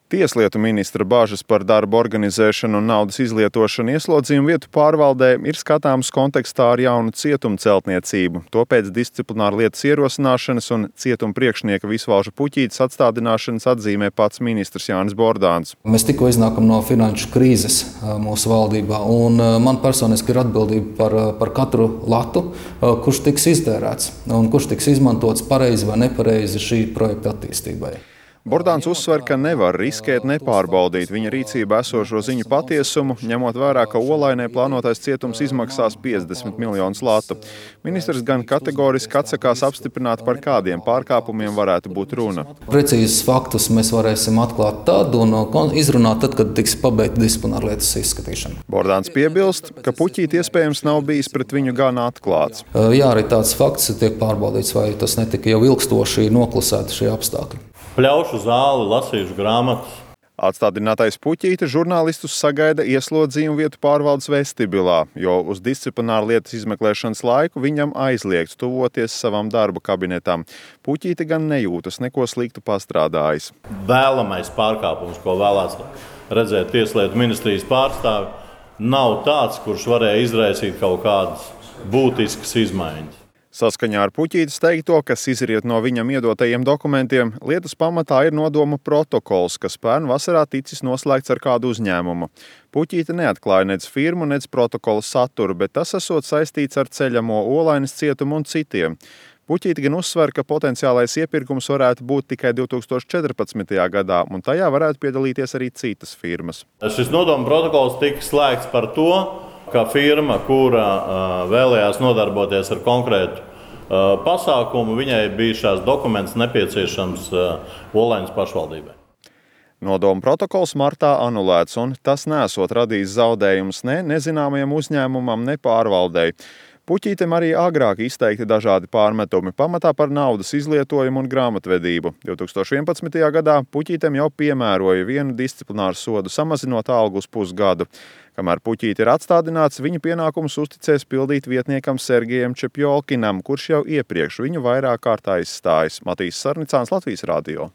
Tieslietu ministra bažas par darbu organizēšanu un naudas izlietošanu ieslodzījumu vietu pārvaldē ir skatāmas kontekstā ar jaunu cietumu celtniecību. To pēc disciplināra lietas ierosināšanas un cietuma priekšnieka Visvalža Puķītes atstādināšanas atzīmē pats ministrs Jānis Bordāns. Mēs tikko iznākam no finanšu krīzes mūsu valdībā, un man personiski ir atbildība par katru latu, kurš tiks iztērēts un kurš tiks izmantots pareizi vai nepareizi šī projekta attīstībai. Bordāns uzsver, ka nevar riskēt nepārbaudīt viņa rīcībā esošo ziņu patiesumu, ņemot vērā, ka Olainē plānotais cietums izmaksās 50 miljonus latu. Ministrs gan kategoriski atsakās apstiprināt, par kādiem pārkāpumiem varētu būt runa. Precīzus faktus mēs varēsim atklāt tad un izrunāt tad, kad tiks pabeigta disciplināra lietas izskatīšana. Bordāns piebilst, ka Puķīte iespējams nav bijis pret viņu gan atklāts. Jā, arī tāds fakts tiek pārbaudīts, vai tas netika jau ilgstoši noklusēti šie apstākļi. Pļaušu zāli, lasīšu grāmatas. Atstādinātais Puķīte žurnālistus sagaida ieslodzījumu vietu pārvaldes vestibilā, jo uz disciplināra lietas izmeklēšanas laiku viņam aizliegts tuvoties savam darba kabinetam. Puķīte gan nejūtas neko sliktu pastrādājis. Vēlamais pārkāpums, ko vēlēts redzēt Tieslietu ministrijas pārstāvi, nav tāds, kurš varēja izraisīt kaut kādas būtiskas izmaiņas. Saskaņā ar Puķītes teikto, kas izriet no viņam iedotajiem dokumentiem, lietas pamatā ir nodomu protokols, kas pērn vasarā ticis noslēgts ar kādu uzņēmumu. Puķīte neatklāja nec firmu, nec protokola saturu, bet tas esot saistīts ar ceļamo Olainas cietumu un citiem. Puķīte gan uzsver, ka potenciālais iepirkums varētu būt tikai 2014. gadā, un tajā varētu piedalīties arī citas firmas. Šis nodomu protokols tika slēgts par to, ka firma, kura vēlējās nodarboties ar konkrētu pasākumu, viņai bija šās dokuments nepieciešams Olainas pašvaldībai. Nodomu protokols martā anulēts, un tas nesot radījis zaudējumus ne nezināmajam uzņēmumam, ne pārvaldei. Puķītem arī agrāk izteikti dažādi pārmetumi, pamatā par naudas izlietojumu un grāmatvedību. 2011. gadā Puķītem jau piemēroja vienu disciplināru sodu, samazinot algu uz pusgadu. Kamēr Puķīte ir atstādināts, viņa pienākumus uzticēs pildīt vietniekam Sergejam Čepjolkinam, kurš jau iepriekš viņu vairāk kārt aizstājis. Matīs Sarnicāns, Latvijas radio.